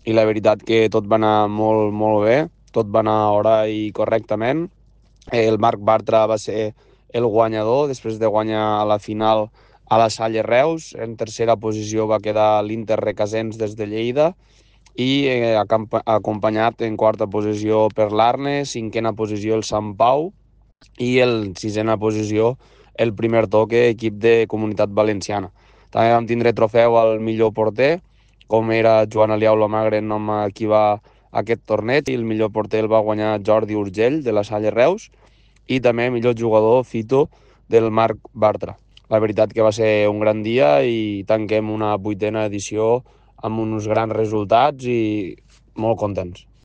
i la veritat que tot va anar molt, molt bé, tot va anar a hora i correctament. El Marc Bartra va ser el guanyador, després de guanyar a la final a la Salle Reus. En tercera posició va quedar l'Inter Requesens des de Lleida i acompanyat en quarta posició per l'Arne, cinquena posició el Sant Pau i el sisena posició el Primer Toque, equip de Comunitat Valenciana. També vam tindre trofeu al millor porter, com era Joan Aliau Lomagre, nom a qui va aquest torneig, i el millor porter el va guanyar Jordi Urgell, de la Salle Reus, i també millor jugador Fito, del Marc Bartra. La veritat que va ser un gran dia i tanquem una 8a edició amb uns grans resultats i molt contents.